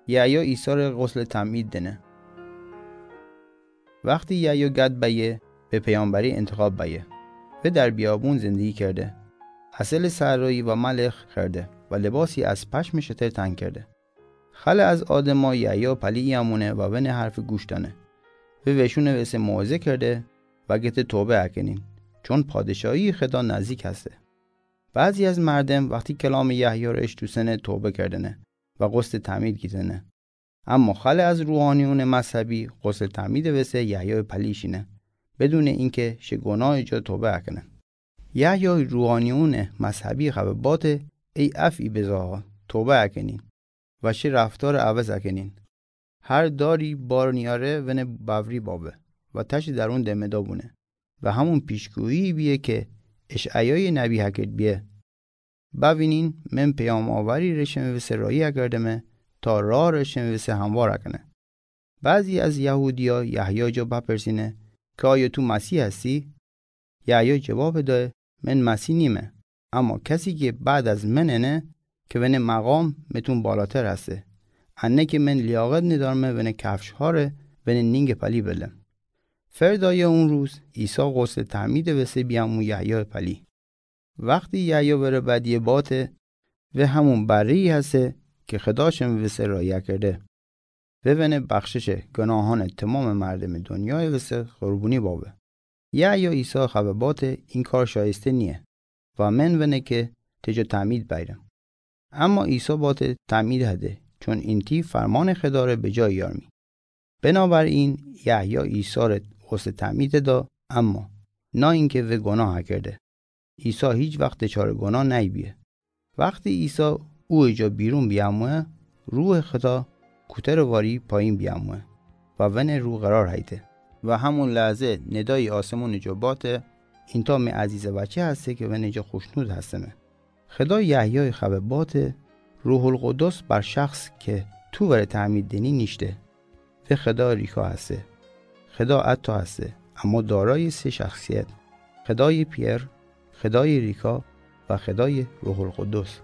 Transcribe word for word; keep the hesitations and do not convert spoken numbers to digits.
یحیی عیسی ره غسل تعمید دنه. وختی یحیی گد بأیه، به پیامبری انتخاب بأیه. وی در بیابون زندگی کرده. عسل صحرایی و ملخ خورده و لباسی از پشم شتر تن کرده. خلع از آدما یحیی پلی بیامونه و ونه حرف گوش دأنه. وی وشونه وسه موعظه کرده و گته توبه اکنین، چون پادشاهی خدا نزدیک هسته. بعضی از مردم وختی کلام یحیی ره اشتوسنه توبه کردنه و غسل تعمید گیتنه. اما خلع از روحانیون مذهبی غسل تعمید وسه یحیی پلی شینه، بدون اینکه شه گناه جا توبه اکنه. یحیی روحانیون مذهبی خبه باته: ای افعی بزاها، توبه اکنین و شه رفتار عوض اکنین. هر داری بار نیاره ونه بأوری بابه و تشی درون دمه دابونه و همون پیشگویی بیه که اشعیای نبی هکرد بیه: بوینین، من پیام‌آوری ره شمه وسه راهی اکردمه تا راه ره شمه وسه هموار اکنه. بعضی از یهودیا یحیی جا بپرسینه که آیا تو مسیح هستی؟ یحیی جواب دأه: من مسیح نیمه، اما کسی که بعد از من انه، که ونه مقام متون بالاتر هسته، انه که من لیاقت ندارمه ونه کفش‌ها ره ونه نینگ پلی بلم. فردای اون روز عیسی غسل تعمید وسه بیامو یحیی پلی. وختی یحیی وره بدیه باته: وی همون بری‌یی هسه که خدا شمه وسه راهی اکرده. وی ونه بخشش گناهان تمام مردم دنیای وسه قربونی بابه. یحیی عیسی خبه باته: این کار شایسته نیه و من ونه که ته جا تعمید بیرم. اما عیسی باته: تعمید هده، چون اینتی فرمان خدا ره به جا یارمی. بنابراین یحیی عیسی ره غسل تعمید دا، اما نه اینکه وی گناه اکرده. عیسی هیچ وخت دچار گناه نأیبیه. وختی عیسی اویه جا بیرون بیاموه، روح خدا کوتر واری پایین بیاموه و ونه رو قرار هیته. و همون لحظه ندایی آسمون جا باته: اینتا می عزیز بچه هسته که ونه جا خوشنود هستمه. خدا یحیی خبه باته: روح‌القدس بر شخص که تو وره تعمید دینی نیشته. وی خدای ریکا هسته. خدا عطا هسته، اما دارای سه شخصیت: خدای پئر، خدای ریکا و خدای روح‌القدس.